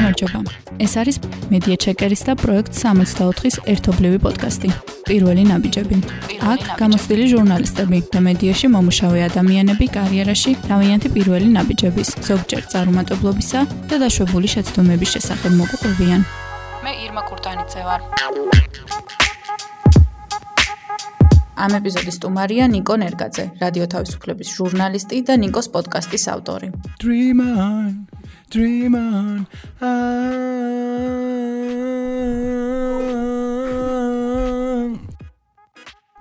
გამარჯობა. ეს არის მედია ჩეკერის და პროექტ 64-ის ერთობლივი პოდკასტი. პირველი ნაბიჯები. აქ გამოცდილი ჟურნალისტები და მედიაში მომუშავე ადამიანები კარიერაში თავიანთი პირველი ნაბიჯების, ზოგჯერ წარუმატებლობისა და დაშვებული შეცდომების შესახებ მოგვიყვებიან. მე ირმა კურტანიძე ვარ. ამ ეპიზოდის სტუმარია ნიკო ნერგაძე, რადიო თავისუფლების ჟურნალისტი და ნიკოს პოდკასტის ავტორი. Dream on.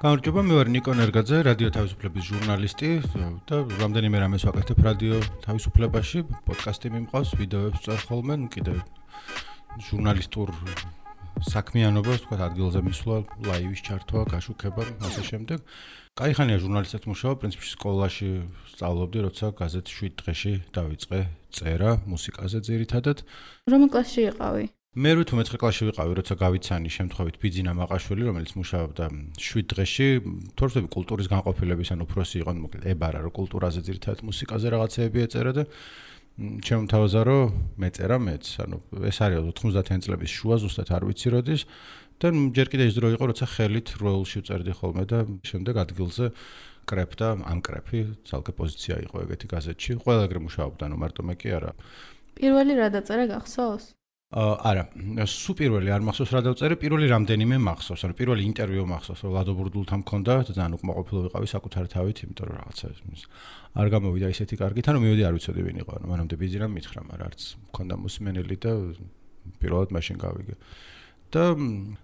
გამარჯობა, მე ვარ ნიკო ნერგაძე, რადიო თავისუფლების ჟურნალისტი და რამდენიმე რამეს ვაკეთებ რადიო თავისუფლებაში, პოდკასტი მიმყავს, ვიდეოებს წერ ხოლმე, კიდევ ჟურნალისტურ საქმიანობას, თქვა ადგილზე მისვლა, ლაივის ჩართვა, გაშუქება, ასე შემდეგ. კაიხანია ჟურნალისტად მუშაობ, პრინციპში სკოლაში სწავლობდი, როცა გაზეთ 7 დღეში დავიწყე წერა მუსიკაზე ძირითადად. რომელ კლასში იყავი? მე 8 კლასში ვიყავი, როცა გავიცანი შემთხვევით ბიძინა მაყაშვილი, რომელიც მუშაობდა 7 დღეში, თორსები კულტურის განყოფილების ან უფროსი იყო, მოკლედ ებარა რომ კულტურაზე ძირითადად მუსიკაზე რაღაცეები ეწერა და ჩემ თავაზე რომ მეწერა მეც, ანუ ეს არის 90-იან წლების შუა, ზუსტად არ ვიცი როდის და ჯერ კიდე ის დრო იყო, როცა ხელით როელში ვწერდი ხოლმე და შემდეგ ადგილზე კრეფ და ამ კრეფი ძალკე პოზიცია იყო ეგეთი გაზეთში. ყველა ეგრე მუშაობდა, ანუ მარტო მე კი არა. პირველი რა დაწერა გახსოვს? არა, სულ პირველი არ მახსოვს რა დავწერე, პირველი რამდენიმე მახსოვს, ანუ პირველი ინტერვიუ მახსოვს, რომ ლადო ბურდულთან მქონდა და ძალიან უკმაყოფილო ვიყავი საკუთარი თავით, იმიტომ რომ რაღაცა არ გამოვიდა ისეთი კარგით, ანუ მივედი არ ვიცოდი ვინ იყო, ანუ მანამდე ბიძინამ მითხრა, მაგრამ არც მქონდა მოსმენელი და პირველად მაშინ გავიგე. და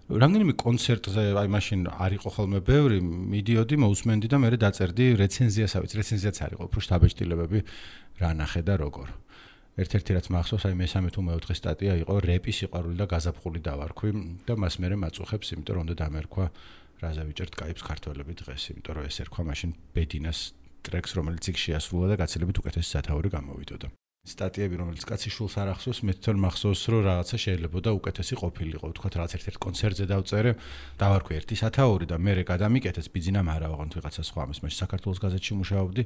რამდენიმე კონცერტზე, აი მაშინ არ იყო ხოლმე ბევრი, მიდიოდი, მოусმენდი და მე დაწერდი რეცენზიასაც, რეცენზიაც არ იყო, უფრო შთაბეჭდილებები რა ნახე და როგორ. ერთ-ერთი რაც მახსოვს, აი მესამე თუ მეოთხე სტატია იყო რეპის სიყვარული და გაზაფხული დავარქვი და მას მე მაწუხებს, იმიტომ რომ უნდა დამერქვა რაზე ვიჭერთ კაიფს ქართველები დღეს, იმიტომ რომ ეს ერქვა მაშინ ბედინას ტრეკს, რომელიც იქ შეასრულა და გაცილებით უკეთესი სათაური გამოვიდოდა. სტატიები, რომელიც კაცი შულს არ ახსოვს, მე თვითონ მახსოვს, რომ რაღაცა შეიძლება და უკეთესი ყოფილიყო. ვთქვათ, რაღაც ერთ-ერთ კონცერტზე დავწერე, დავარქვი ერთი სათაური და მე გადამიკეთეს, ბიძინამ არა ვაღონთ ვიღაცა სხვა, ამის მაშინ საქართველოს გაზეთში მუშაობდი.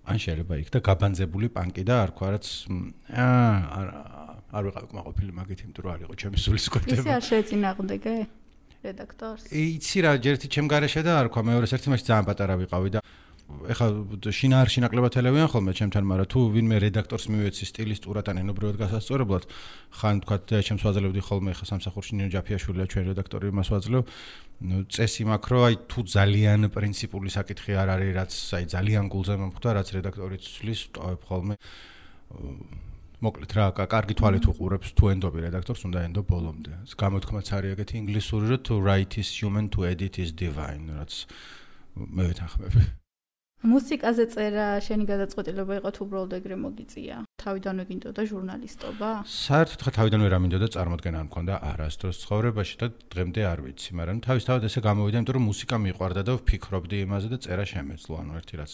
ან შეიძლება იქ და გაბანძებული პანკი და არ თქვა რაც არ ვიყავი კმაყოფილი მაგით, იმიტომ რომ არ იყო ჩემი სულის კვეთება. ისე არ შეეწინააღმდეგე რედაქტორს? იცი რა, ჯერთი ჩემ გარეშე და არ თქვა, მეორეს ერთი მაშინ ძალიან პატარა ვიყავი და ეხლა შინაარში ნაკლებად ელევიან ხოლმე ჩემთან, მაგრამ თუ ვინმე რედაქტორს მივეცი სტილისტურად ან ენობრივად გასასწორებლად, ხან თქვა ჩემს ვაძლევდი ხოლმე, ეხლა სამსახურში ნინო ჯაფიაშვილია ჩვენ რედაქტორი, იმას ვაძლევ. წესი მაქვს, რომ აი თუ ძალიან პრინციპული საკითხი არ არის, რაც აი ძალიან გულზე მომხვდა, რაც რედაქტორი ცვლის, ვტოვებ ხოლმე. მოკლედ რა, კარგი თვალით უყურებს თუ ენდობი რედაქტორს, უნდა ენდო ბოლომდე. გამოთქმაც არის ეგეთი ინგლისური, რომ to write is human, to edit is divine, რაც მე ვეთანხმები. მუსიკაზე წერა შენი გადაწყვეტილება იყო თუ უბრალოდ ეგრე მოგიწია? თავიდანვე გინდოდა ჟურნალისტობა? საერთოდ ხა თავიდანვე რა მინდოდა, წარმოდგენა არ მქონდა არასდროს ცხოვრებაში და დღემდე არ ვიცი, მაგრამ თავისთავად ესე გამოვიდა, იმიტომ რომ მუსიკა მიყვარდა და ვფიქრობდი იმაზე და წერა შემეძლო, ანუ ერთი რაც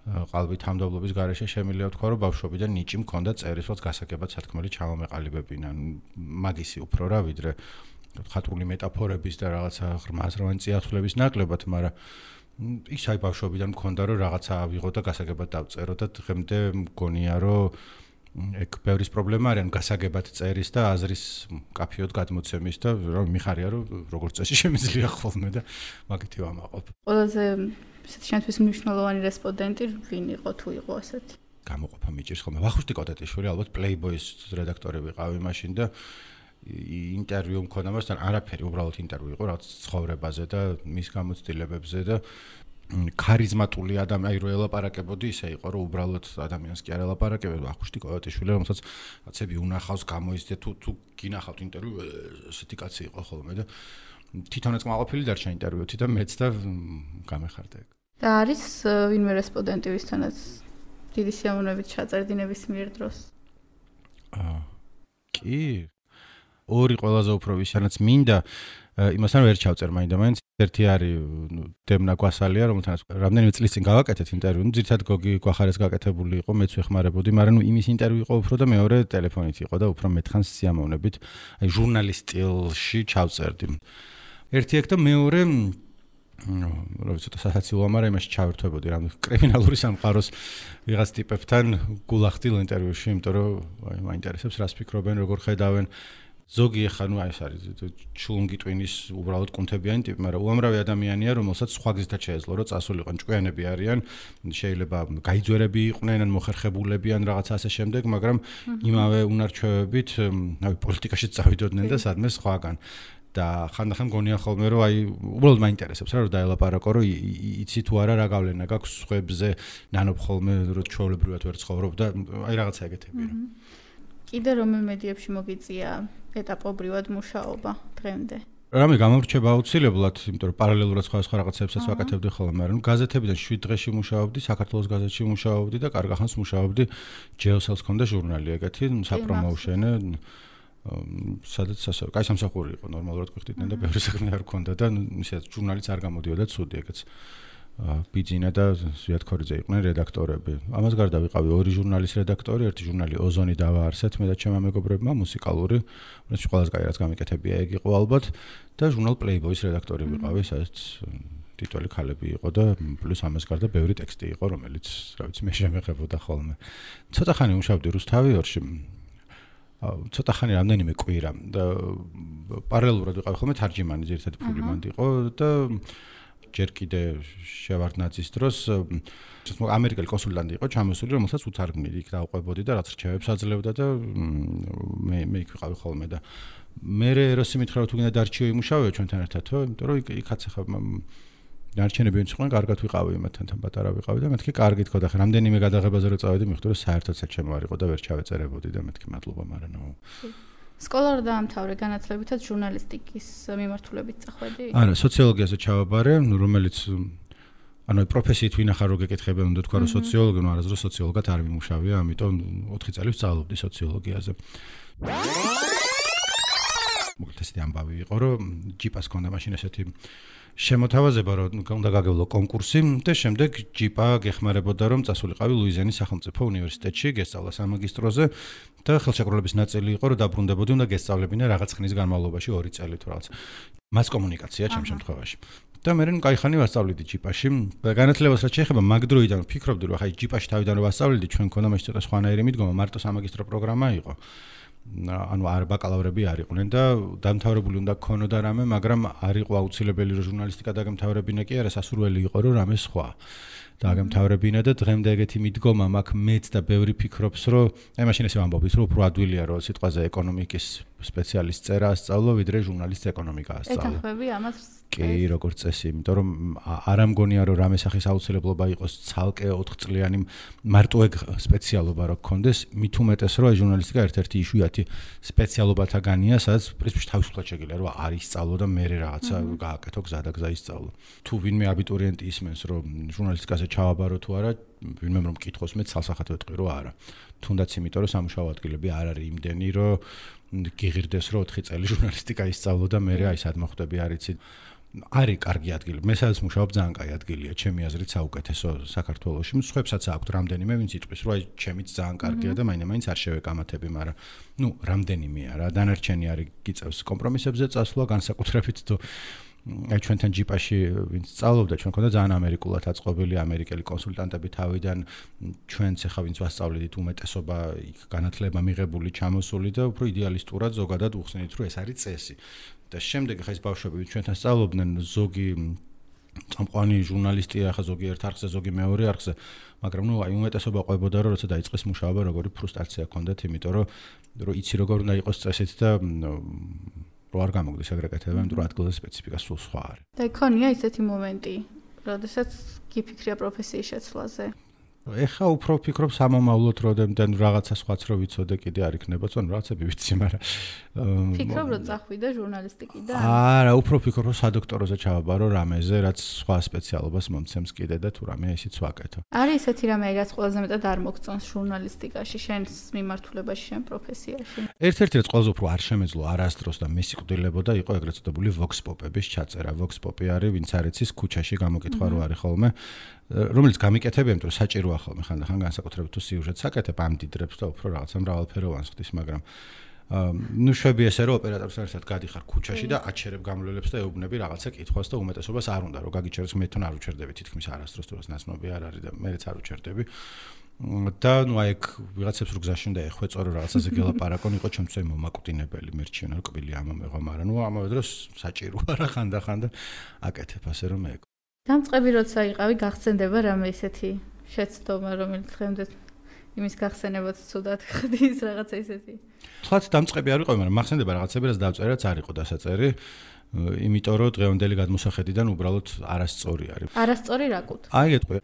ყალბით თამდობლობის გარეშე შემიძლია ვთქვა, რომ ბავშვობიდან ნიჭი მქონდა წერისას გასაგებად სათქმელი ჩამომეყალიბებინა, მაგისი უფრო რა ვიდრე ხატრული მეტაფორების და რაღაცა ღრმაზროვანი წიაღწლების ნაკლებად, მაგრამ ის აი ბავშვობიდან მქონდა რომ რაღაცა ავიღო და გასაგებად დავწერო და დღემდე მგონია რომ ეგ ბევრის პრობლემა არის, ან გასაგებად წერის და აზრის კაფეოდ გადმოცემის და რომ მიხარია რომ როგორც წესი შემიძლია ხოლმე და მაგითი ვამაყობ. ყველაზე ესეთი შენთვის მნიშვნელოვანი რესპონდენტი ვინ იყო თუ იყო ასეთი? გამოყოფა მიჭირს ხოლმე. ვახუშტი კოტეტიშვილი, ალბათ Playboy-ის რედაქტორი ვიყავი მაშინ და ინტერვიუ მქონდა მასთან, არაფერი, უბრალოდ ინტერვიუ იყო რაღაც ცხოვრებაზე და მის გამოცდილებებზე და ქარიზმატული ადამიანი, აი რო ელაპარაკებოდი, ისე იყო, რომ უბრალოდ ადამიანს კი არ ელაპარაკებოდი, ვახუშტი კოტეტიშვილი, რომელსაც რაღაცები უნახავს, გამოიზრდა თუ გინახავთ ინტერვიუ, ესეთი კაცი იყო ხოლმე და თვითონაც კმაყოფილი დარჩა ინტერვიუთი და მეც და გამეხარდა ეგ. და არის ვინმე რესპონდენტი, ვისთანაც დიდი სიამოვნებით ჩაწერდი ნებისმიერ დროს? კი ორი ყველაზე უფრო ვისანაც მინდა იმასთან ვერ ჩავწერ მაინდა-მაინც. ერთი არის დემნა გვასალია, რომელთანაც რამდენიმე წლის წინ გავაკეთეთ ინტერვიუ. ძირითადად გოგი გვახარეს გაკეთებული იყო, მეც ვეხმარებოდი, მაგრამ იმის ინტერვიუ იყო უფრო და მეორე ტელეფონით იყო და უფრო მეთხანს სიამოვნებით, აი ჟურნალის სტილში ჩავწერდი. ერთი ეგ და მეორე ცოტა სასაცილოა, მაგრამ იმაში ჩავერთვებოდი რამ კრიმინალური სამყაროს ვიღაც ტიპებთან გულახდილ ინტერვიუში, იმიტომ რომ მაინტერესებს რას ფიქრობენ, როგორ ხედავენ. ზოგი ახლა ეს არის ჩულუნგი ტვინის უბრალოდ კუნთებიანი ტიპი, მაგრამ უამრავი ადამიანია, რომელსაც სხვა გზითაც შეეძლო, რომ წასულიყო, ჭკვიანები არიან, შეიძლება გაიძვერები იყვნენ, ან მოხერხებულები ან რაღაცა ასე შემდეგ, მაგრამ იმავე უნარჩვევებით, პოლიტიკაშიც წავიდოდნენ და სადმე სხვაგან. და ხანდახან მგონია ხოლმე რომ უბრალოდ მაინტერესებს რა რომ დაელაპარაკო რომ იცი თუ არა რა გავლენა გაქვს სხვებზე ნანობ ხოლმე რომ ჩვეულებრივად ვერ ცხოვრობ და რაღაცა ეგეთები რა. კიდე რომელ მედიებში მოგიწია ეტაპობრივად მუშაობა დღემდე? რამე გამორჩება აუცილებლად, იმიტომ რომ პარალელურად სხვა რაღაცებსაც ვაკეთებდი ხოლმე, მაგრამ გაზეთებიდან 7 დღეში მუშაობდი, საქართველოს გაზეთში მუშაობდი და კარგ ახანს მუშაობდი ჯეოსელს ქონდა ჟურნალი ეგეთი, საპრომოუშენე სადაც ასე კაი სამსახური იყო ნორმალურად გვიხდიდნენ და ბევრი საქმე არ ქონდა და ისე ჟურნალიც არ გამოდიოდა ცუდი ეგეც ბიძინა და ზვიად ქორიძე იყვნენ რედაქტორები. ამას გარდა ვიყავი 2 ჟურნალის რედაქტორი, ერთი ჟურნალი ოზონი დავაარსეთ მე და ჩემმა მეგობრებმა მუსიკალური, რომელიც ყველაზე კაი რაც გამიკეთებია ეგ იყო ალბათ და ჟურნალ Playboy-ის რედაქტორი ვიყავი, სადაც ტიტული ქალები იყო და პლუს ამას გარდა ბევრი ტექსტი იყო, რომელიც რა ვიცი მე შემეღებოდა ხოლმე. ცოტა ხანი მუშაობდი რუსთავიორში. ცოტა ხანი რამდენიმე კვირა და პარალელურად ვიყავი ხოლმე თარჯიმანი, ძირითადად ფული მანდ იყო და ჯერ კიდე შევარდნაძის დროს ამერიკელი კონსულტანტი იყო ჩამოსული, რომელსაც უთარგმნილი იქ დავყვებოდი და რაც რჩევებს აძლევდა და მე იქ ვიყავი ხოლმე და მე როსი მითხრა თუ გინდა დარჩიო იმუშავეო ჩვენთან ერთადო, იმიტომ რომ იქაც ახლა დარჩენები ვინც იყვნენ, კარგად ვიყავი იმათთან პატარა ვიყავი და მეთქი კარგი თქო და ხე რამდენიმე გადაღებაზე რო წავედი, მიხდი რომ საერთოდაც ჩემო არ იყო და ვერ ჩავეწერებოდი და მეთქი მადლობა, მაგრამ სკოლა რა დაამთავრე, განათლებითაც ჟურნალისტიკის მიმართულებით წახვედი? არა, სოციოლოგიაზე ჩავაბარე, რომელიც პროფესიით ვინახარ რო გეკითხებენ, უნდა თქვა რომ სოციოლოგი, არასდროს სოციოლოგად არ მიმუშავია, ამიტომ 4 წელი ვსწავლობდი სოციოლოგიაზე. მოკლედ ესეთი ამბავი იყო, რომ ჯიპას ჰქონდა მაშინ ესეთი შემოთავაზება, რომ უნდა გაგევლო კონკურსი და შემდეგ ჯიპა გეხმარებოდა, რომ წასულიყავი ლუიზიანის სახელმწიფო უნივერსიტეტში, გესწავლა სამაგისტროზე და ხელშეკრულების ნაწილი იყო, რომ დაბრუნდებოდი, უნდა გესწავლებინა რაღაც ხნის განმავლობაში 2 წელი თუ რაღაც. მას კომუნიკაცია ჩემ შემთხვევაში. და მე კაი ხანი ვასწავლიდი ჯიპაში. განათლებას რაც შეეხება მაგ დროიდან ვფიქრობდი, რომ ხაი ჯიპაში თავიდან რომ ვასწავლიდი, ჩვენ ქონდა მაშინ ცოტა სხვანაირი მიდგომა, მარტო სამაგისტრო პროგრამა იყო. ანუ არ ბაკალავრები არ იყვნენ და დამთავრებული უნდა გქონოდა რამე, მაგრამ არ იყო აუცილებელი რომ ჟურნალისტიკა დაგემთავრებინა კი არა, სასურველი იყო რომ რამე სხვა დაგემთავრებინა და დღემდე ეგეთი მიდგომა მაქვს მეც და ბევრი ფიქრობს რომ მაშინ ესე ვამბობთ რომ უფრო ადვილია რომ სიტყვაზე ეკონომიკის სპეციალისტ წერა ასწავლო ვიდრე ჟურნალისტ ეკონომიკა ასწავლო. ეთანხმები ამას? კი, როგორც წესი, იმიტომ რომ არ ამგონია რომ რამე სახის აუცილებლობა იყოს ცალკე 4 წლიანი მარტო ეგ სპეციალობა რო გქონდეს, მით უმეტეს რომ ჟურნალისტიკა ერთ-ერთი იშვიათი სპეციალობათაგანია, სადაც პრინციპში თავისუფლად შეგიძლია რომ არ ისწავლო და მე რაღაცა გააკეთო გზა და გზა ისწავლო. თუ ვინმე აბიტურიენტი ისმენს რომ ჟურნალისტიკაზე ჩავაბარო თუ არა, ვინმე რომ მკითხოს მე ცალსახად ვეთქვი რომ არა. თუნდაც იმიტომ რომ სამუშაო ადგილები არ არის იმდენი რომ გიღირდეს რომ 4 წელი ჟურნალისტიკა ისწავლო და მე აი სად მოხვდები არ იცი. არის კარგი ადგილი. მე სადაც მუშაობ ძალიან კაი ადგილია, ჩემი აზრით საუკეთესო საქართველოში. მსხვერპლსაც აქვს რამდენიმე, ვინც იტყვის, რომ აი ჩემიც ძალიან კარგია და მაინც არ შევეკამათები, მაგრამ რამდენიმეა რა, დანარჩენი არის გიწევს კომპრომისებზე წასვლა, განსაკუთრებით თუ აი ჩვენთან ჯიპაში ვინც სწავლობდა, ჩვენ ქონდა ძალიან ამერიკულად აწყობილი ამერიკელი კონსულტანტები თავიდან, ჩვენც ახლა ვინც ვასწავლედით უმეტესობა იქ განათლება მიღებული, ჩამოსული და უფრო იდეალისტურად ზოგადად უხსნით, რომ ეს არის წესი. და შემდეგ ახლა ეს ბავშვები ჩვენთან სწავლობდნენ, ზოგი წამყვანი ჟურნალისტია, ახლა ზოგი ერთ არხზე, ზოგი მეორე არხზე, მაგრამ აი უმეტესობა ყვებოდა, რომ როცა დაიწყეს მუშაობა, როგორი ფრუსტრაცია ჰქონდათ, იმიტომ რომ იცი როგორ უნდა იყოს წესით და რო არ გამოგდეს ეგრე კეთება, იმიტომ რომ ადგილზე სპეციფიკა სულ სხვა არის. და იქონია ისეთი მომენტი, როდესაც გიფიქრია პროფესიის შეცვლაზე? ეხა უფრო ვფიქრობ სამომავლოდ, როდემდან რაღაცა სხვაც რო ვიცოდე კიდე არ იქნება, წონ რაღაცები ვიცი, მაგრამ ფიქრობ რომ წახვიდე ჟურნალისტიკიდან? არა, უფრო ვფიქრობ რომ სადოქტოროზე ჩავაბარო რამეზე, რაც სხვა სპეციალობას მომცემს კიდე და თუ რამე ისიც ვაკეთო. არის ესეთი რამე, რაც ყველაზე მეტად არ მოგწონს ჟურნალისტიკაში, შენს მიმართულებაში, შენ პროფესიაში? ერთ-ერთი რაც ყველაზე უფრო არ შემეძლო არასდროს და მე სიკვდილებოდა იყო ეგრეთ წოდებული vox pop-ების ჩაწერა. vox pop-ი არის, ვინც არ იცის, ქუჩაში გამოკითხვა რო არის ხოლმე. რომელიც გამიკეთებია, იმიტომ რომ საჭიროა ხოლმე ხანდახან განსაკუთრებით თუ სიუჟეტს აკეთებ, ამდიდრებს და უფრო რაღაცა მრავალფეროვანს ხდის, მაგრამ ნუ შვები ესე რომ ოპერატორთან ერთად გადიხარ ქუჩაში და აჩერებ გამლელებს და ეუბნები რაღაცა კითხვას და უმეტესობას არ უნდა რომ გაგიჩეროს მე თვითონ არ უჩერდები თითქმის არასდროს თუ რას ნაცნობი არ არის და მეც არ უჩერდები და ნუ აი ეგ ვიღაცებს რო გზაში უნდა ეხვეწო რომ რაღაცაზე გელაპარაკონ იყო ჩემთვის მომაკვდინებელი მერჩიონ რომ კბილი ამომეღო მაგრამ ნუ ამავე დროს საჭიროა რა ხანდახან და აკეთებ ასე რომ მე დამწყები როცა იყავი გახსენდება რამე ისეთი შეცდომა რომელიც დღემდე იმის გახსენებაც ცუდად ხდის რაღაცა ისეთი თვათ დამწყები არ ვიყავი მაგრამ მახსენდება რაღაცები რაც დავწერე რაც არ იყო დასაწერი იმიტომ რომ დღევანდელი გადმოსახედიდან უბრალოდ არასწორი არის არასწორი რა კუთ აი ეტყვი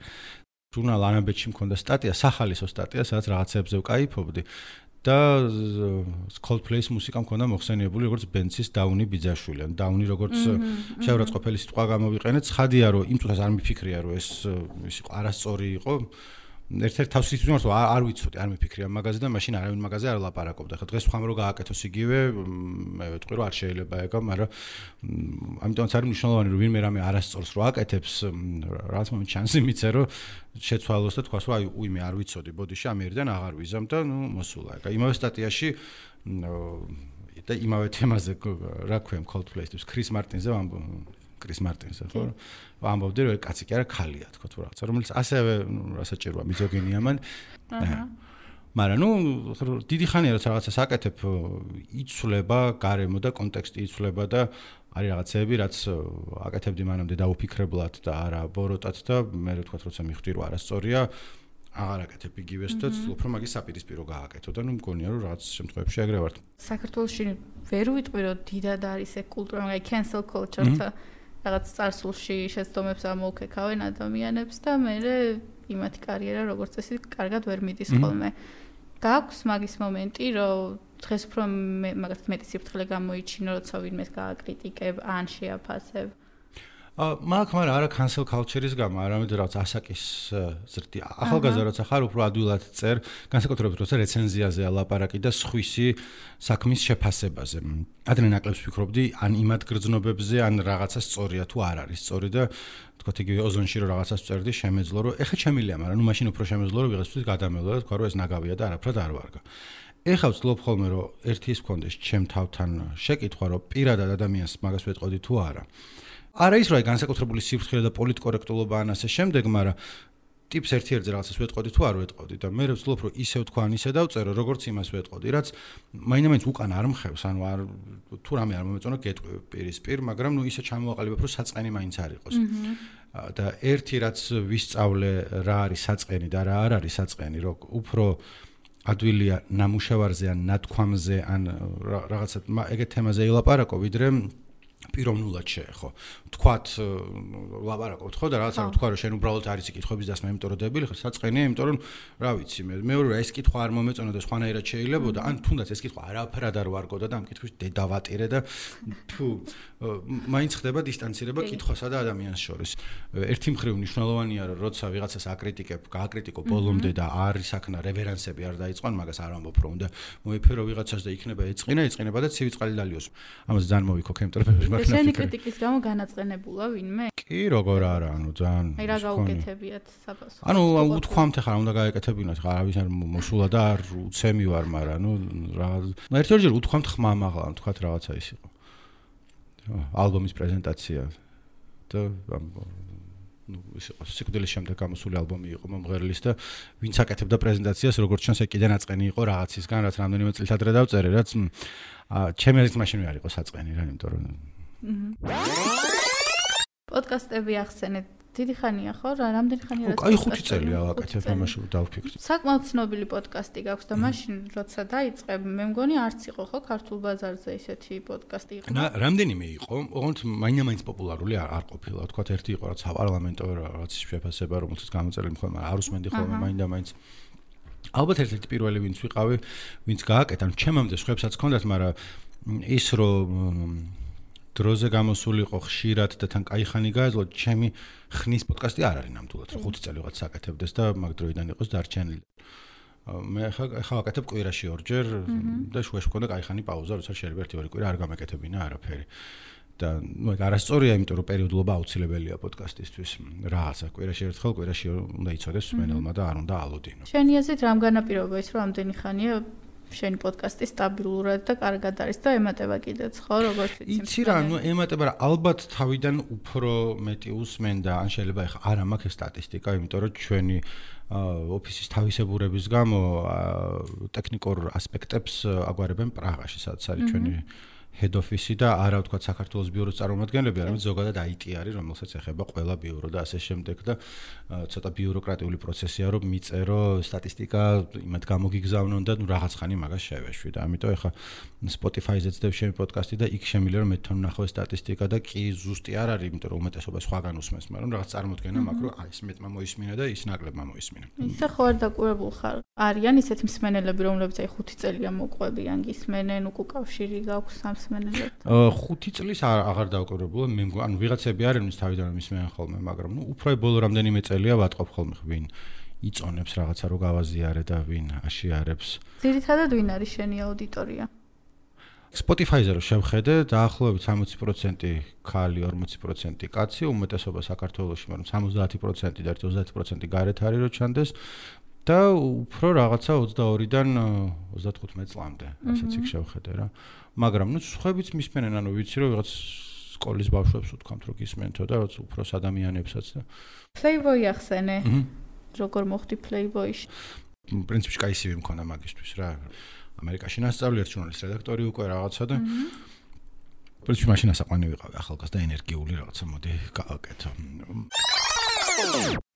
ჟურნალ ანაბეჭში მქონდა სტატია სახალისო სტატია სადაც რაღაცებზე ვკაიფობდი და Coldplay-ის მუსიკა მქონდა მოხსენიებული როგორც ბენცის დაუნი ბიძაშვილი ან დაუნი როგორც შეურაცხყოფელი სიტყვა გამოვიყენე ცხადია რომ იმ წუთას არ მიფიქრია რომ ეს იყო არასწორი იყო ერთ-ერთ თავს ისვიმართ არ ვიცოდი არ მიფიქრია მაგაზე და მაშინ არავინ მაგაზე არ ლაპარაკობდა ხა დღეს ხომ რო გააკეთოს იგივე მე ვეთქვი რომ არ შეიძლება ეგა მაგრამ ამიტომაც არის მნიშვნელოვანი რომ ვინმე რამე არასწორს რო აკეთებს რაღაც მომენტ შანსი მიცე რომ შეცვალოს და თქვას რომ აი უიმე არ ვიცოდი ბოდიში ამერიდან აღარ ვიზამ და ნუ მოსულა ეგა იმავე სტატიაში და იმავე თემაზე რა ქვია Coldplay-ის ქრის მარტინზე კრის მარტინზე ხო ამბობდი რომ კაცი კი არა ქალია თქო თუ რაღაცა რომელიც ასევე რასაჭიროა მიზოგინია მან მაგრამ ნუ დიდი ხანია რომ რაღაცას აკეთებ იცვლება გარემო და კონტექსტი იცვლება და არის რაღაცები რაც აკეთებდი მანამდე დაუფიქრებლად და არა ბოროტად და მე ვთქვათ როცა მიხვდი რომ არასწორია აღარ აკეთებ იგივეს და უფრო მაგის საპირისპირო გააკეთო და ნუ მგონია რომ რაღაც შემთხვევებში ეგრე ვარ საქართველოში ვერ ვიტყვი რომ დიდად არის ეგ კულტურა მაგ cancel culture-თა რაღაც წარსულში შეცდომებს ამოუქეკავენ ადამიანებს და მე იმათი კარიერა როგორც წესი კარგად ვერ მიდის ხოლმე. გაქვს მაგის მომენტი, რომ დღეს უფრო მაგათ მეტი სიფრთხილე გამოიჩინო, როცა ვინმეს გააკრიტიკებ ან შეაფასებ. მაგრამ არა cancel culture-ის გამო, არამედ რაღაც ასაკის ზრდი. ახალგაზრდა როცა ხარ, უფრო ადვილად წერ, განსაკუთრებით როცა რეცენზიაზეა ლაპარაკი და სხვისი საქმის შეფასებაზე. ადრე ნაკლებს ვფიქრობდი ან იმად გრძნობებზე, ან რაღაცა სწორია თუ არ არის სწორი და თქვათ იგივე ოზონში რომ რაღაცას წერდი, შემეძლო რომ ეხა შემილია, მაგრამ ნუ მაშინ უფრო შემეძლო რომ ვიღაცთვის გადამელო და თქვა რომ ეს ნაგავია და არაფრად არ ვარგა. ეხა ვცდილობ ხოლმე რომ ერთი ის მქონდეს ჩემ თავთან შეკითხვა რომ პირადად ადამიანს მაგას ვეტყოდი თუ არა. არა ის რომ აი განსაკუთრებული სიფრთხილე და პოლიტკორექტულობა ან ასე შემდეგ, მაგრამ ტიპს ერთ-ერთზე რაღაცას ვეტყოდი თუ არ ვეტყოდი და მე ვცდილობ რომ ისევ თქვა ან ისე დავწერო, როგორც იმას ვეტყოდი, რაც მაინდა-მაინც უკან არ მხევს, ანუ არ თუ რამე არ მომეწონა გეტყვი პირისპირ, მაგრამ ნუ ისე ჩამოვაყალიბებ რომ საწყენი მაინც არ იყოს. და ერთი რაც ვისწავლე რა არის საწყენი და რა არ არის საწყენი, რომ უფრო ადვილია ნამუშევარზე ან ნათქვამზე ან რაღაცა ეგეთ თემაზე ელაპარაკო, ვიდრე პიროვნულად შეეხო. თქვათ ლაპარაკობთ ხო და რაღაცა თქვა რომ შენ უბრალოდ არის კითხვების დასმა, იმიტომ რომ დებილი ხარ, საწყენია, იმიტომ რომ რა ვიცი მე მეორე ეს კითხვა არ მომეწონა და სხვანაირად შეიძლებოდა, ან თუნდაც ეს კითხვა არაფრად არ ვარგოდა და ამ კითხვის დედავატირე და თუ მაინც ხდება დისტანცირება კითხვასა და ადამიანს შორის. ერთი მხრივ მნიშვნელოვანია რომ როცა ვიღაცას აკრიტიკებ, გააკრიტიკო ბოლომდე და არის აქნა რევერანსები არ დაიწყონ, მაგას არ ვამბობ რომ უნდა მოიფერო ვიღაცას და იქნება ეწყინება და ცივი წყალი დალიოს. ამას ძალიან მოვიქოქ ემტრებები შენი კრიტიკის გამო განაწყენებულა ვინმე? კი, როგორ არა, ანუ ძალიან. აი რა გაუკეთებიათ საფასო. ანუ უთქვამთ ახლა უნდა გაეკეთებინოთ, ხა არავის არ მოსულა და არ უცემი ვარ, მაგრამ ანუ რა ერთ-ერთჯერ უთქვამთ ხმამ ახლა, თქვათ რაღაცა ის იყო. ალბომის პრეზენტაცია და ну ის იყო სიკვდილის შემდეგ გამოსული ალბომი იყო მომღერლის და ვინც აკეთებდა პრეზენტაციას როგორც ჩანს ეგ კიდე ნაწყენი იყო რაღაცისგან რაც რამდენიმე წელს ადრე დავწერე რაც ჩემი აზრით მაშინ არ იყო საწყენი რა იმიტომ რომ პოდკასტები ახსენეთ დიდი ხანია ხო რა რამდენი ხანია რა აი 5 წელია ვაკეთებ ამაში დავფიქრდი საკმაოდ ცნობილი პოდკასტი გაქვს და მაშინ როცა დაიწყე მე მგონი არც იყო ხო ქართულ ბაზარზე ისეთი პოდკასტი იყო რამდენიმე იყო ოღონდ მაინდა-მაინც პოპულარული არ ყოფილა თქვა ერთი იყო რაც საპარლამენტო რაც შეფასება რომელსაც გამოწერილი ხოლმე არ უსმენდი ხოლმე მაინდა-მაინც ალბათ ერთ-ერთი პირველი ვინც ვიყავი ვინც გააკეთა ჩემამდე სხვებსაც ჰქონდათ მაგრამ ის რომ დროზე გამოსულიყო ხშირად და თან კაი ხანი გაეძლო ჩემი ხნის პოდკასტი არ არის ნამდვილად რომ 5 წელი ვიღაც საკეთებდეს და მაგ დროიდან იყოს დარჩენილი მე ხა ვაკეთებ კვირაში ორჯერ და შუაში მქონდა კაი ხანი პაუზა როცა შეიძლება 1-2 კვირა არ გამეკეთებინა არაფერი და ნუ ეგ არასწორია იმიტომ რომ პერიოდულობა აუცილებელია პოდკასტისთვის რაღაცა კვირაში ერთხელ კვირაში უნდა იცოდეს მსმენელმა და არ უნდა ალოდინო შენი აზრით რამ განაპირობა ის რომ ამდენი ხანია შენი პოდკასტი სტაბილურად და კარგად არის და ემატება კიდეც, ხო, როგორც ვიცი. იცი რა, ემატება რა, ალბათ თავიდან უფრო მეტი უსმენ და ან შეიძლება ეხა არ მაქვს სტატისტიკა, იმიტომ რომ ჩვენი ოფისის თავისებურების გამო ტექნიკურ ასპექტებს აგვარებენ პრაღაში, სადაც არის ჩვენი head office და არა ვთქვათ საქართველოს ბიუროს წარმომადგენლები, არამედ ზოგადად IT არის, რომელსაც ეხება ყველა ბიურო და ასე შემდეგ და ცოტა ბიუროკრატიული პროცესია, რომ მიწერო სტატისტიკა, იმათ გამოგიგზავნონ და რაღაც ხანი მაგას შევეშვი და ამიტომ ეხა Spotify-ზე ძდებ შენი პოდკასტი და იქ შემიძლია რომ მე თან ვნახო სტატისტიკა და კი ზუსტი არ არის, იმიტომ რომ უმეტესობა სხვაგან უსმენს, მაგრამ რაღაც წარმოდგენა მაქვს, რომ აი ეს მეტმა მოისმინა და ის ნაკლებმა მოისმინა. ისე ხო არ დაკვირებულ ხარ. არიან ისეთი მსმენელები, რომლებიც აი 5 წელია მოყვებიან, გისმენენ, უკავშირი გაქვს სამ მსმენელად. 5 წლის აღარ დავკვირებულა, მე ანუ ვიღაცები არიან ის თავიდან მისმენან ხოლმე, მაგრამ უფრო ბოლო რამდენიმე წელია ვატყობ ხოლმე ვინ იწონებს რაღაცა რო გავაზიარე და ვინ აშიარებს. ძირითადად ვინ არის შენი აუდიტორია? Spotify-ზე რო შევხედე, დაახლოებით 60% ქალი, 40% კაცი, უმეტესობა საქართველოში, მაგრამ 70% და 30% გარეთ არის რო ჩანდეს და უფრო რაღაცა 22-დან 35 წლამდე, ასეც იქ შევხედე რა. მაგრამ სხვაებიც მისმენენ, ანუ ვიცი რომ ვიღაც სკოლის ბავშვებს უთქვამთ რომ გისმენთო და უბრალოდ ადამიანებსაც და Playboy ახსენე. როგორ მოხდი Playboy-ში? პრინციპში კაისივე მქონდა მაგისთვის რა. ამერიკაში ნასწავლი ერთ ჟურნალის რედაქტორი უკვე რაღაცა და პრინციპში მაშინ ასაყვანი ვიყავი ახალგაზრდა ენერგიული რაღაცა მოდი გავაკეთო.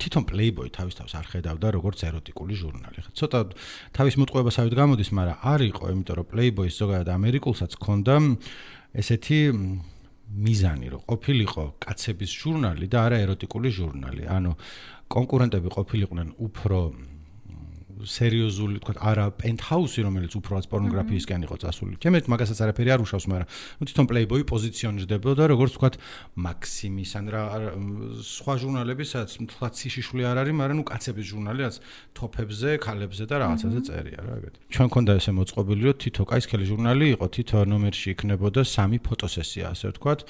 თვითონ Playboy თავის თავს არ ხედავდა როგორც ეროტიკული ჟურნალი. ცოტა თავის მოტყუებასავით გამოდის, მაგრამ არ იყო, იმიტომ რომ Playboy-ს ზოგადად ამერიკულსაც ჰქონდა ესეთი მიზანი, რომ ყოფილიყო კაცების ჟურნალი და არა ეროტიკული ჟურნალი. ანუ კონკურენტები ყოფილიყვნენ უფრო სერიოზული, თქვა არა პენტჰაუსი, რომელიც უბრალოდ პორნოგრაფიისკენ იყო წასული. ჩემეთ მაგასაც არაფერი არ უშავს, მაგრამ თვითონ Playboy პოზიციონირდებოდა როგორც თქვა მაქსიმის ან რა სხვა ჟურნალები, სადაც თლაც სიშიშველი არ არის, მაგრამ კაცების ჟურნალი, რაც თოფებზე, ქალებზე და რაღაცაზე წერია რა ეგეთი. ჩვენ მქონდა ესე მოწყობილი, რომ თითო კაისქელი ჟურნალი იყო, თითო ნომერში იქნებოდა 3 ფოტოსესია, ასე ვთქვათ.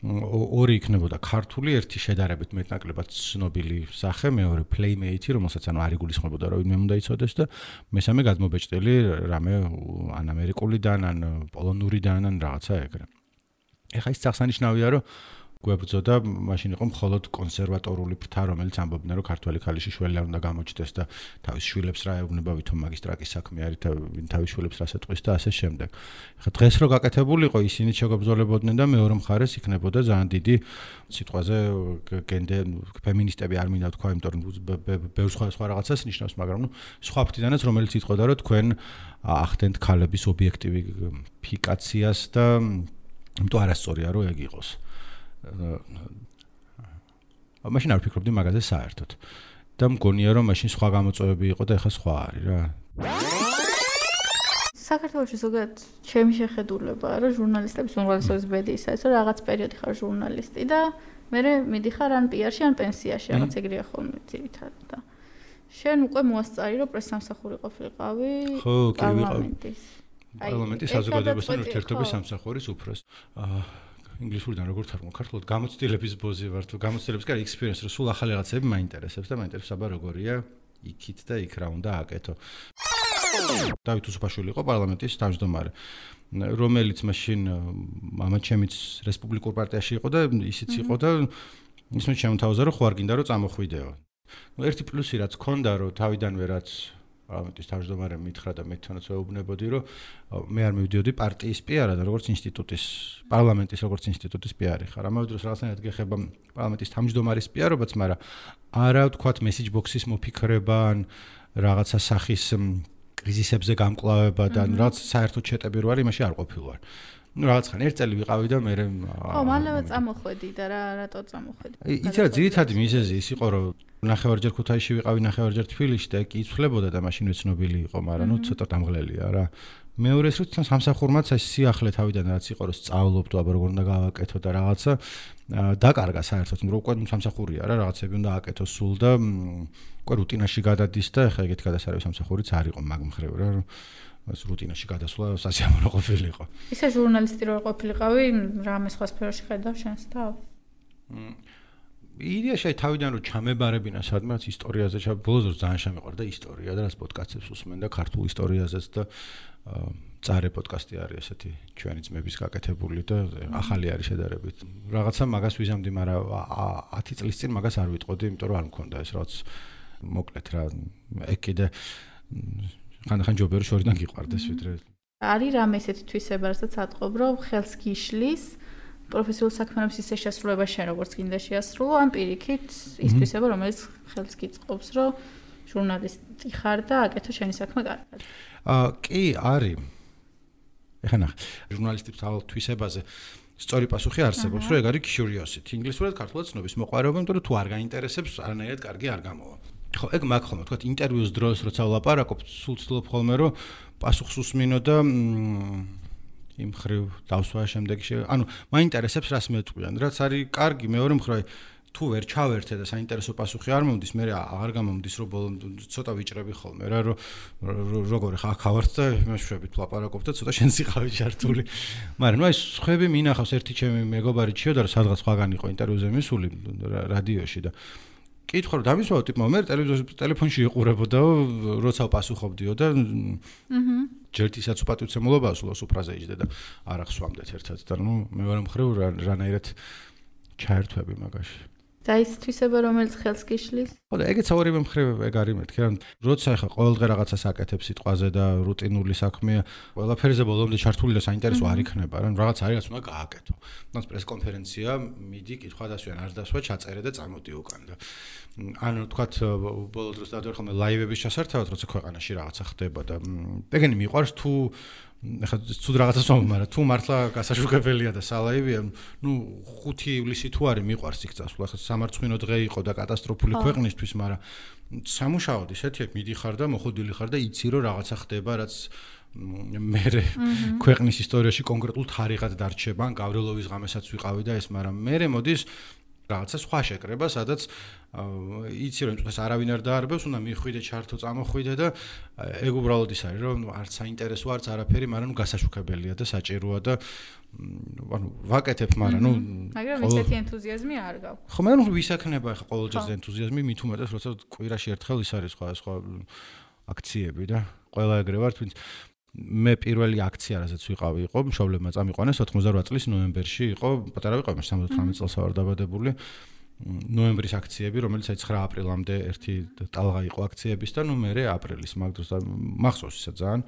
2 იქნებოდა ქართული, ერთი შედარებით მეტნაკლებად ცნობილი სახე, მეორე Playmate, რომელსაც ანუ არ იგულისხმებოდა რომ ვინმე უნდა იცოდეს და მესამე გადმობეჭდილი რამე ან ამერიკულიდან, ან პოლონურიდან, ან რაღაცა ეგრე. ეხა ის აღსანიშნავია, რომ გვებრძოდა, მაშინ იყო მხოლოდ კონსერვატორული ფრთა, რომელიც ამბობდნენ, რომ ქართველი ქალიში შველი არ უნდა გამოჩნდეს და თავის შვილებს რა ეუბნება, ვითომ მაგისტრატის საქმე არის და ვინ თავის შვილებს რას ეტყვის და ასე შემდეგ. ეხა დღეს რო გაკეთებულიყო, ისინი შეგებრძოლებოდნენ და მეორე მხარეს იქნებოდა ძალიან დიდი სიტყვაზე ფემინისტები არ მინდა თქვა, იმიტომ რომ ბევრ სხვა რაღაცას ნიშნავს, მაგრამ სხვა ფრთიდანაც რომელიც იტყოდა, რომ თქვენ ახდენთ ქალების ობიექტივიფიკაციას და იმიტომ არასწორია რომ ეგ იყოს. მაშინ არ ვფიქრობდი მაგაზე საერთოდ და მგონია რომ მაშინ სხვა გამოწვევები იყო და ეხლა სხვა არის რა. საქართველოში ზოგადად ჩემი შეხედულებაა რომ ჟურნალისტების უმრავლესობის ბედი ის არის რომ რაღაც პერიოდი ხარ ჟურნალისტი და მერე მიდიხარ ან პიარში ან პენსიაში რაღაც ეგრეა ხოლმე ძირითადად და შენ უკვე მოასწარი რომ პრესსამსახური ყოფილიყავი პარლამენტის. პარლამენტის საზოგადოებასთან ურთიერთობის სამსახურის უფროს. ინგლისურიდან როგორ თარგმნო ქართულად გამოცდილების ბოზი ვარ თუ გამოცდილების კარი experience რო სულ ახალი რაღაცები მაინტერესებს და მაინტერესებს აბა როგორია იქით და იქ რა უნდა აკეთო. დავით უსუფაშვილი იყო პარლამენტის თავმჯდომარე, რომელიც მაშინ მამა ჩემიც რესპუბლიკურ პარტიაში იყო და ისიც იყო და ისმე შემოთავაზა რომ ხო არ გინდა რომ წამოხვიდეო. ერთი პლუსი რაც ქონდა რომ თავიდანვე რაც პარლამენტის თავმჯდომარემ მითხრა და მე თვითონაც ვეუბნებოდი რომ მე არ მივდიოდი პარტიის პიარად, როგორც ინსტიტუტის, პარლამენტის როგორც ინსტიტუტის პიარი ხარ. ამავე დროს რაღაცნაირად გეხება პარლამენტის თავმჯდომარის პიარობაც, მაგრამ არა ვთქვათ მესეჯ ბოქსის მოფიქრება ან რაღაცა სახის კრიზისებზე გამკლავება და რაღაც საერთოდ შეტები რო არის, იმაში არ ყოფილვარ. რაღაც ხან ერთ წელი ვიყავი და მე მალევე წამოხვედი და რატო წამოხვედი? იცი რა, ძირითადი მიზეზი ის იყო, რომ ნახევარჯერ ქუთაისში ვიყავი, ნახევარჯერ თბილისში და კი იცვლებოდა და მაშინ ცნობილი იყო, მაგრამ ცოტა დამღლელია რა. მეორე ის რომ სამსახურმაც ეს სიახლე თავიდან რაც იყო, რომ სწავლობდო, აბა როგორ უნდა გავაკეთო და რაღაცა დაკარგა საერთოდ, რომ უკვე სამსახურია რა, რაღაცები უნდა აკეთო სულ და უკვე რუტინაში გადადის და ეხლა ეგეთი გადასარევი სამსახურიც არ იყო მაგ მხრივ რა, რომ ეს რუტინაში გადასვლა სასიამოვნო ყოფილიყო. ისე ჟურნალისტი რო ყოფილიყავი, რამე სხვა სფეროში ხედავ შენს თავს? იდეაში თავიდან რომ ჩამებარებინა სადმეც ისტორიაზე, ბოლოს ძალიან შემეყვარდა ისტორია და რას პოდკასტებს უსმენ და ქართულ ისტორიაზეც და წარე პოდკასტი არის ესეთი ჩვენი ძმების გაკეთებული და ახალი არის შედარებით. რაღაცა მაგას ვიზამდი, მაგრამ 10 წლის წინ მაგას არ ვიტყოდი, იმიტომ რომ არ მქონდა ეს რაღაც მოკლედ რა ეგ კიდე ხან ჯობია შორიდან გიყვარდეს ვიდრე. არის რამე ესეთი თვისება, რასაც ატყობ, რომ ხელს გიშლის პროფესიულ საქმიანობის ისე შესრულება შენ როგორც გინდა შეასრულო, ან პირიქით ის თვისება, რომელიც ხელს გიწყობს, რომ ჟურნალისტი ხარ და აკეთო შენი საქმე კარგად. კი, არის. ეხლა ნახე, ჟურნალისტებს თავალ თვისებაზე სწორი პასუხი არსებობს, რომ ეგ არის curiosity. ინგლისურად ქართულად ცნობის მოყვარეობა, იმიტომ რომ თუ არ გაინტერესებს, არანაირად კარგი არ გამოვა. ხო, ეგ მაგ ხოლმე, თქვა ინტერვიუს დროს როცა ვლაპარაკობ, სულ ცდილობ ხოლმე რომ პასუხს უსმინო და იმ ხრივ დავსვა შემდეგში. ანუ მაინტერესებს რას მეტყვიან, რაც არის კარგი, მეორე მხრივ თუ ვერ ჩავერთე და საინტერესო პასუხი არ მომდის, მე აღარ გამომდის, რომ ბოლომდე ცოტა ვიჭრები ხოლმე რა, რომ როგორი ხა ხავართ და მეშვებით ვლაპარაკობ და ცოტა შენ სიყავი ჩართული. მაგრამ ნუ ეს ხები მინახავს ერთი ჩემი მეგობარი ჩიოდა, რომ სადღაც სხვაგან იყო ინტერვიუზე მისული რადიოში და კითხვა რომ დამისვა ტიპმა მე ტელეფონში იყურებოდა, როცა პასუხობდიო და ჯერთისაც უპატივცემულობა სულოს უფრაზე იჯდა და არ ახსვამდეთ ერთად და ნუ მე ვარ მხრივ რანაირად ჩაერთვები მაგაში. და ის თვისება რომელიც ხელს გიშლის? ხო და ეგეც ორივე მხრივ ეგ არის მეთქი რა. როცა ახლა ყოველდღე რაღაცას აკეთებს სიტყვაზე და რუტინული საქმეა, ყველაფერზე ბოლომდე ჩართული და საინტერესო არ იქნება რა. რაღაც არის რაც უნდა გააკეთო. ნაც პრესკონფერენცია, მიდი, კითხვა დასვიან, არ დასვა, ჩაწერე და წამოდი უკან და ანუ თქვათ ბოლო დროს დავდივარ ხოლმე ლაივების ჩასართავად, როცა ქვეყანაში რაღაცა ხდება და ეგენი მიყვარს თუ ეხლა ცუდ რაღაცას ვამბობ, მაგრამ თუ მართლა გასაშუქებელია და სალაივია, ნუ 5 ივლისი თუ არის მიყვარს იქ წასვლა, ახლა სამარცხვინო დღე იყო და კატასტროფული ქვეყნისთვის, მაგრამ სამუშაოდ ისეთი მიდიხარ და მოხოდილი ხარ და იცი რომ რაღაცა ხდება, რაც მე ქვეყნის ისტორიაში კონკრეტულ თარიღად დარჩება, ან გავრილოვის ღამესაც ვიყავი და ეს, მაგრამ მე მოდის რაღაცა სხვა შეკრება, სადაც იცი რომ ეს არავინ არ დაარბევს, უნდა მიხვიდე, ჩართო, წამოხვიდე და ეგ უბრალოდ ის არის, რომ არც საინტერესო, არც არაფერი, მაგრამ გასაშუქებელია და საჭიროა და ანუ ვაკეთებ, მაგრამ ნუ მაგრამ ისეთი ენთუზიაზმი არ გაქვს. ხო, მაგრამ ვის აკნება ახლა ყოველჯერ ენთუზიაზმი, მით უმეტეს, როცა კვირაში ერთხელ ის არის სხვა აქციები და ყველა ეგრე ვართ, ვინც მე პირველი აქცია, რასაც ვიყავი, იყო მშობლებმა წამიყვანეს 88 წლის ნოემბერში, იყო პატარა ვიყავი, 78 წელს ვარ დაბადებული. ნოემბრის აქციები, რომელიც 9 აპრილამდე ერთი ტალღა იყო აქციების და ნუ მე აპრილის მაგ დროს მახსოვს ისა ძალიან.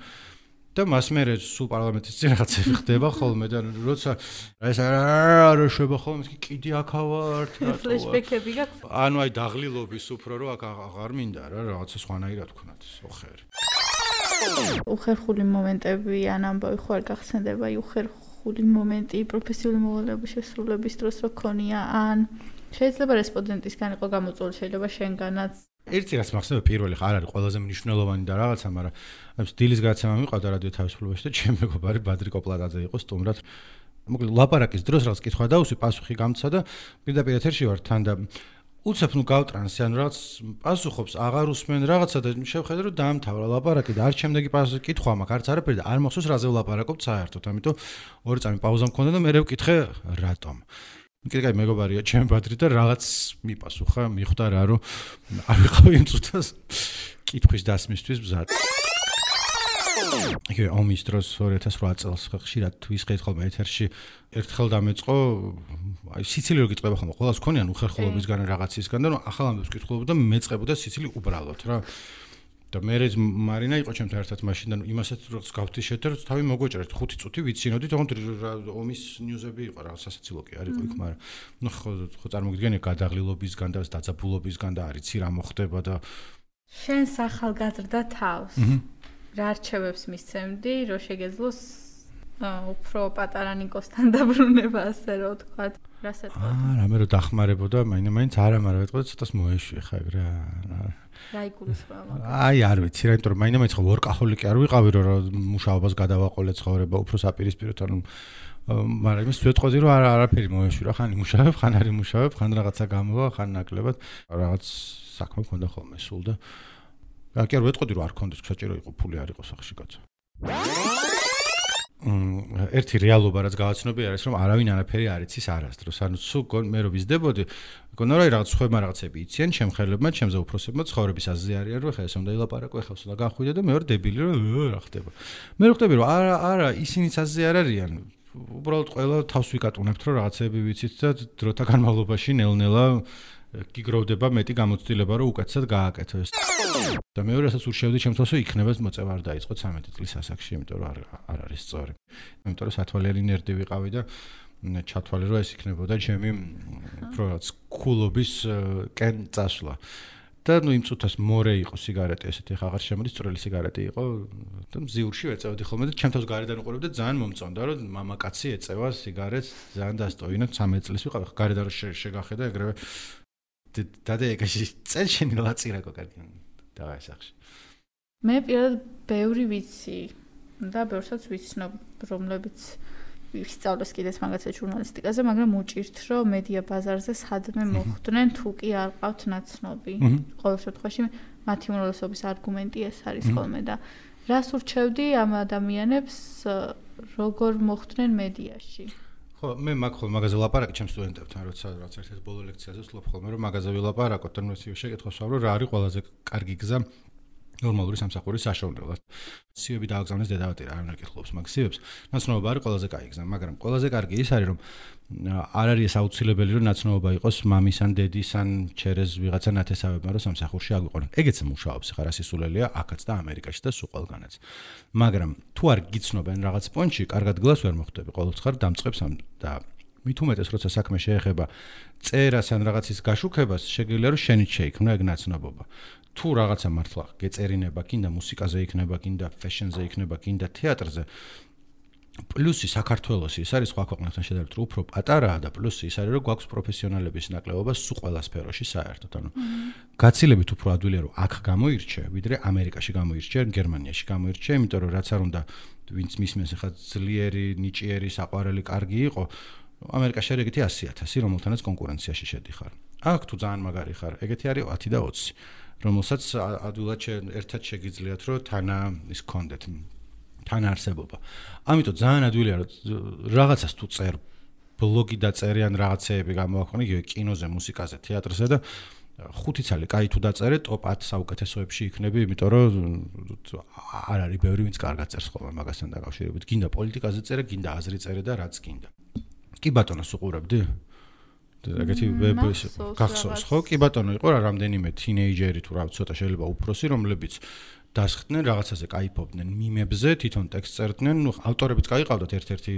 და მას მე სულ პარლამენტის წინ რაღაცები ხდება ხოლმე და როცა ეს არ შეება ხოლმე კიდე აქა ვარ რა ფლეშბექები გაქვს? ანუ აი დაღლილობის უფრო რომ აქ აღარ მინდა რა რაღაცა სხვანაირად ვქნათ ოხერი. უხერხული მომენტები ან ამბავი ხო არ გახსენდება უხერხული მომენტი პროფესიული მოვალეობის შესრულების დროს რო ქონია ან შეიძლება რესპონდენტისგან იყო გამოწვეული, შეიძლება შენგანაც. ერთი რაც მახსოვს პირველი არ არის ყველაზე მნიშვნელოვანი და რაღაცა, მაგრამ დილის გადაცემა მიყავდა რადიო თავისუფლებაში და ჩემი მეგობარი ბადრი კოპლატაძე იყო სტუმრად. მოკლედ ლაპარაკის დროს რაღაც კითხვა დაუსვი, პასუხი გამცა და პირდაპირ ეთერში ვარ თან და უცებ ნუ გავტრანსი, ანუ რაღაც პასუხობს, აღარ უსმენ რაღაცა და შევხედე რომ დაამთავრა ლაპარაკი და არც შემდეგი კითხვა მაქვს, არც არაფერი და არ მახსოვს რაზე ვლაპარაკობ საერთოდ, ამიტომ 2 წამი პაუზა მქონდა და მე ვკითხე რატომ. კიდე მეგობარია ჩემ ბადრი და რაღაც მიპასუხა, მიხვდა რა რომ არ ვიყავი იმ წუთას კითხვის დასმისთვის მზად. იგივე ომის დროს 2008 წელს ხშირად ვისყიდ ხოლმე ეთერში ერთხელ დამეწყო აი სიცილი რო გიტყვება ხოლმე ყველას ქონიან უხერხულობისგან რაღაცისგან და ახალ ამბებს კითხულობდა მეწყებოდა სიცილი უბრალოდ რა და მე მარინა იყო ჩემთან ერთად მაშინ და იმასაც როგორც გავთიშეთ და თავი მოგვეჭერეთ 5 წუთი ვიცინოდით თქო ომის ნიუზები იყო რაღაც სასაცილო კი არ იყო იქ მაგრამ ნუ ხო წარმოგიდგენია გადაღლილობისგან და დაძაბულობისგან და არიცი რა მოხდება და შენს ახალგაზრდა თავს რა არჩევებს მისცემდი, რომ შეგეძლოს უფრო პატარა ნიკოსთან დაბრუნება, ასე რომ ვთქვათ, რას ეტყოდა? რამე რომ დახმარებოდა, მაინც არა, მაგრამ ეტყოდა ცოტას მოეშვი ხა ეგ რა. რა იგულისხმება? აი, არ ვიცი რა, იმიტომ რომ მაინც ხო ვორკაჰოლიკი არ ვიყავი, რომ მუშაობას გადავაყოლე ცხოვრება, უფრო საპირისპიროთ, ანუ მაგრამ იმის ვეტყოდი, რომ არაფერი მოეშვი რა, ხან იმუშავებ, ხან არ იმუშავებ, ხან რაღაცა გამოვა, ხან ნაკლებად, რაღაც საქმე მქონდა ხოლმე სულ და კი არ ვეტყოდი რომ არ კონდეს საჭირო იყო ფული არ იყო სახში კაცო. ერთი რეალობა რაც გავაცნობი არის რომ არავინ არაფერი არ იცის არასდროს. ანუ სულ მე რო ვიზდებოდი, მგონია რომ რაღაც ხვება რაღაცები იციან, ჩემხელებმა, ჩემზე უფროსებმა ცხოვრების აზრი არიან რომ ხა ეს უნდა ილაპარაკო, ხა უნდა განხვიდე და მე ვარ დებილი რომ რა ხდება. მე რო ხვდები რომ არა, ისინიც აზრი არ არიან. უბრალოდ ყველა თავს ვიკატუნებთ რომ რაღაცები ვიცით და დროთა განმავლობაში ნელ-ნელა გიგროვდება მეტი გამოცდილება რომ უკეთესად გააკეთო ეს. და მეორე რასაც ურჩევდი ჩემს თავს რომ იქნება მოწევა არ დაიწყო 13 წლის ასაკში, იმიტომ რომ არ არის სწორი. იმიტომ რომ სათვალიანი ნერდი ვიყავი და ჩათვალე რომ ეს იქნებოდა ჩემი უფრო რაც კულობის კენ წასვლა. და იმ წუთას მორე იყო სიგარეტი, ესეთი ხა აღარ შემოდის, წვრილი სიგარეტი იყო და მზიურში ვეწევდი ხოლმე და ჩემ თავს გარედან უყურებდა ძალიან მომწონდა რომ მამაკაცი ეწევა სიგარეტს, ძალიან დასტოინო 13 წლის ვიყავ, გარედან შეგახედა ეგრევე დადე ეგაში წელ შენი ლაწირაკო კარგი და ასახში. მე პირადად ბევრი ვიცი და ბევრსაც ვიცნობ, რომლებიც ვისწავლეს კიდეც მაგაცა ჟურნალისტიკაზე, მაგრამ უჭირთ რომ მედია ბაზარზე სადმე მოხვდნენ თუ კი არ ყავთ ნაცნობი. ყოველ შემთხვევაში მათი უმრავლესობის არგუმენტი ეს არის ხოლმე და რას ურჩევდი ამ ადამიანებს როგორ მოხვდნენ მედიაში? ხო, მე მაგაზე ვლაპარაკი ჩემ სტუდენტებთან, როცა რაც ერთ-ერთ ბოლო ლექციაზე ვსვლობ ხოლმე რომ მაგაზე ვილაპარაკოთ და ნუ ეს შეკითხავს რომ რა არის ყველაზე კარგი გზა ნორმალური სამსახურის საშუალებლად. სიები დააგზავნეს დედავატირა, არ უნდა კითხულობს მაგ სიებს. ნაცნობობა არის ყველაზე კარგი გზა, მაგრამ ყველაზე კარგი ის არის რომ არ არის ეს აუცილებელი რომ ნაცნობობა იყოს მამის ან დედის ან ჩერეს ვიღაცა ნათესავებმა რომ სამსახურში აგვიყვანონ. ეგეც მუშაობს ხარ ასისულელია აქაც და ამერიკაში და სულ ყველგანაც. მაგრამ თუ არ გიცნობენ რაღაც პონჩი, კარგად გლას ვერ მოხვდები, ყოველთვის ხარ დამწყებს და მით უმეტეს როცა საქმე შეეხება წერას ან რაღაცის გაშუქებას, შეგიძლია რომ შენით შეიქმნა ეგ ნაცნობობა. თუ რაღაცა მართლა გეწერინება, კიდე მუსიკაზე იქნება, კიდე ფეშენზე იქნება, კიდე თეატრზე. პლუსი საქართველოსი ის არის სხვა ქვეყნებთან შედარებით უფრო პატარაა და პლუსი ის არის რომ გვაქვს პროფესიონალების ნაკლებობა სულ ყველა სფეროში საერთოდ. ანუ გაცილებით უფრო ადვილია რომ აქ გამოირჩე, ვიდრე ამერიკაში გამოირჩე, გერმანიაში გამოირჩე, იმიტომ რომ რაც არ უნდა ვინც მისმენს ახლა ძლიერი, ნიჭიერი, საყვარელი, კარგი იყო, ამერიკაში არის ეგეთი 100,000, რომელთანაც კონკურენციაში შედიხარ. აქ თუ ძალიან მაგარი ხარ, ეგეთი არის 10 და 20. რომელსაც ადვილად ერთად შეგიძლიათ რომ თანა ის გქონდეთ თანა არსებობა. ამიტომ ძალიან ადვილია რომ რაღაცას თუ წერ ბლოგი დაწერიან რაღაცეები გამოაქვეყნე იგივე კინოზე, მუსიკაზე, თეატრზე და 5 წელი კაი თუ დაწერე ტოპ 10 საუკეთესოებში იქნები, იმიტომ რომ არ არის ბევრი ვინც კარგად წერს ხოლმე მაგასთან დაკავშირებით. გინდა პოლიტიკაზე წერე, გინდა აზრი წერე და რაც გინდა. კი ბატონო, უყურებდი? ეგეთი გახსოვს ხო? კი ბატონო, იყო რა რამდენიმე თინეიჯერი თუ რა ცოტა შეიძლება უფროსი, რომლებიც დასხდნენ რაღაცაზე, кайფობდნენ მიმებზე, თვითონ ტექსტს წერდნენ, ნუ ავტორებიც გაიყავდათ ერთ-ერთი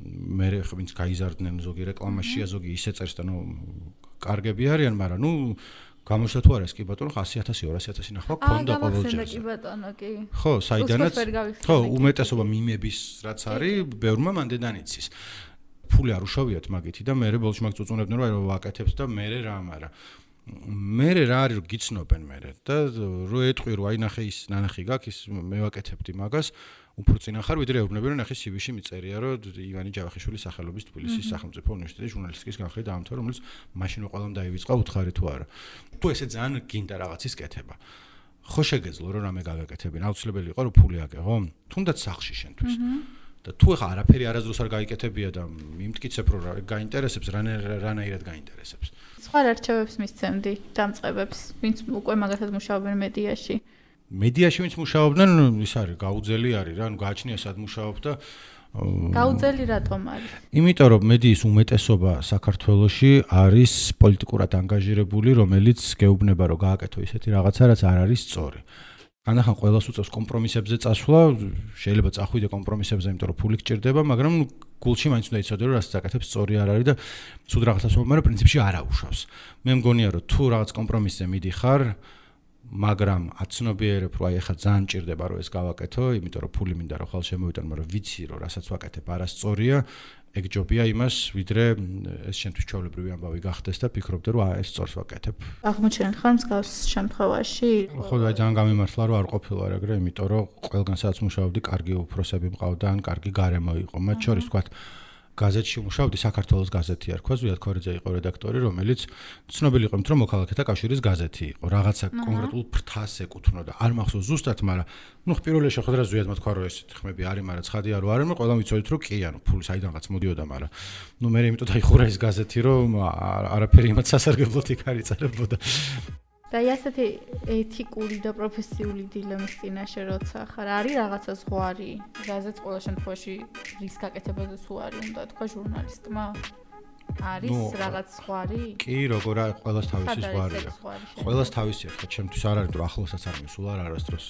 მე ვინც გაიზარდნენ ზოგი რეკლამაშია, ზოგი ისე წერს და ნუ კარგები არიან, მაგრამ ნუ გამოჩნდა თუ არა ეს კი ბატონო 100,000 200,000 ნახვა ქონდა ყოველჯერ. კი ბატონო, კი. ხო, საიდანაც ხო, უმეტესობა მიმების რაც არის, ბევრმა მანდედან იცის. ფული არ უშავიათ მაგითი და მე ბოლოში მაგ წუწუნებდნენ რომ აი რომ ვაკეთებთ და მე რა მარა. მე რა არის რომ გიცნობენ მე და რო ეტყვი რომ აი ნახე ის ნანახი გაქვს ის მე ვაკეთებდი მაგას უფრო წინა ხარ ვიდრე ეუბნები რომ ნახე CV-ში მიწერია რომ ივანი ჯავახიშვილის სახელობის თბილისის სახელმწიფო უნივერსიტეტის ჟურნალისტიკის განხრით დაამთავრა რომელიც მაშინ ყველამ დაივიწყა უთხარი თუ არა. თუ ესე ძალიან გინდა რაღაცის კეთება. ხო შეგეძლო რომ რამე გავაკეთებინ, აუცილებელი იყო რომ ფული აკეღო? თუნდაც სახში შენთვის. და თუ ახლა არაფერი არასდროს არ გაიკეთებია და მიმტკიცებ რომ გაინტერესებს რანაირად გაინტერესებს. სხვა არჩევებს მისცემდი დამწყებებს, ვინც უკვე მაგათაც მუშაობენ მედიაში. მედიაში ვინც მუშაობდნენ, ის არის გაუძელი არის რა, ანუ გააჩნია სად მუშაობ და გაუძელი რატომ არის? იმიტომ რომ მედიის უმეტესობა საქართველოში არის პოლიტიკურად ანგაჟირებული, რომელიც გეუბნება რომ გააკეთო ისეთი რაღაცა, რაც არ არის სწორი. ანახან ყველას უწევს კომპრომისებზე წასვლა, შეიძლება წახვიდე კომპრომისებზე, იმიტომ რომ ფული გჭირდება, მაგრამ გულში მაინც უნდა იცოდე რომ რასაც აკეთებს სწორი არ არის და ცუდ რაღაცას ვამბობ, მაგრამ პრინციპში არ აუშავს. მე მგონია რომ თუ რაღაც კომპრომისზე მიდიხარ, მაგრამ აცნობიერებ რომ აი ახლა ძალიან მჭირდება რომ ეს გავაკეთო, იმიტომ რომ ფული მინდა რომ ხალხ შემოვიტანო, მაგრამ ვიცი რომ რასაც ვაკეთებ არასწორია, ეგ ჯობია იმას, ვიდრე ეს შენთვის ჩვეულებრივი ამბავი გახდეს და ფიქრობდე რომ ეს სწორს ვაკეთებ. აღმოჩენთ ხარ მსგავს შემთხვევაში? ხო, აი ძალიან გამიმართლა რომ არ ყოფილვარ ეგრე, იმიტომ რომ ყველგან სადაც მუშაობდი, კარგი უფროსები მყავდა, ან კარგი გარემო იყო. მათ შორის თქვათ გაზეთში მუშაობდი, საქართველოს გაზეთი არ ქვა, ზვიად ქორიძე იყო რედაქტორი, რომელიც ცნობილი იყო, რომ მოქალაქეთა კავშირის გაზეთი იყო, რაღაცა კონკრეტულ ფრთას ეკუთვნოდა. არ მახსოვს ზუსტად, მაგრამ ნუ პირველი შეხვედრა ზვიად მოთქვა, რომ ესეთი ხმები არის, მაგრამ ცხადი არ ვარ, მაგრამ ყველამ ვიცოდით, რომ კი, ანუ ფული საიდანღაც მოდიოდა, მაგრამ ნუ მე იმიტომ დაიხურა ეს გაზეთი, რომ არაფერი იმათ სასარგებლოდ იქ არ იწერებოდა. და ასეთი ეთიკური და პროფესიული დილემის წინაშე როცა ხარ, არის რაღაცა ზღვარი? გაზეთს ყველა შემთხვევაში რის გაკეთებაზე თუ არის, უნდა თქვა ჟურნალისტმა? არის რაღაც ზღვარი? კი, როგორ არის, ყველას თავისი ზღვარია. ყველას თავისი აქვს, ჩემთვის არ არის, რომ ახლოსაც არ მისულ არასდროს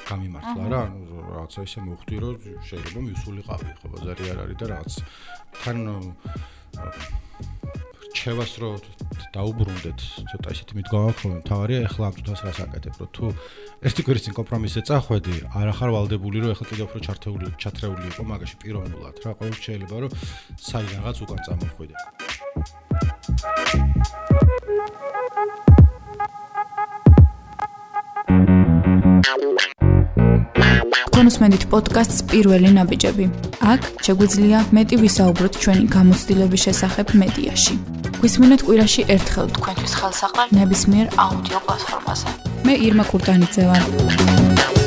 გამიმართლა რა, ანუ რაღაცა ისე მოვხვდი, რომ შეიძლება მივსულიყავი, ხო, ბაზარი არ არის და რაღაც თან რჩევას რო დაუბრუნდეთ, ცოტა ისეთი მიდგომა ხოლმე, თავარია ეხლა ამ თვითონს რას აკეთებ, რომ თუ ერთი კვირის წინ კომპრომისზე წახვედი, არ ახარ ვალდებული, რომ ეხლა კიდევ უფრო ჩათრეული იყო მაგაში პიროვნულად რა, ყოველ შეიძლება რომ საიდანღაც უკან წამოხვიდე. კონსმენდით პოდკასტს პირველი ნაბიჯები. აქ შეგვიძლია მეტი ვისაუბროთ ჩვენი გამოცდილების შესახებ მედიაში. გვისმინეთ კვირაში ერთხელ თქვენთვის ხელსაყრელ ნებისმიერ აუდიო პლატფორმაზე. მე ირმა კურტანიძე ვარ.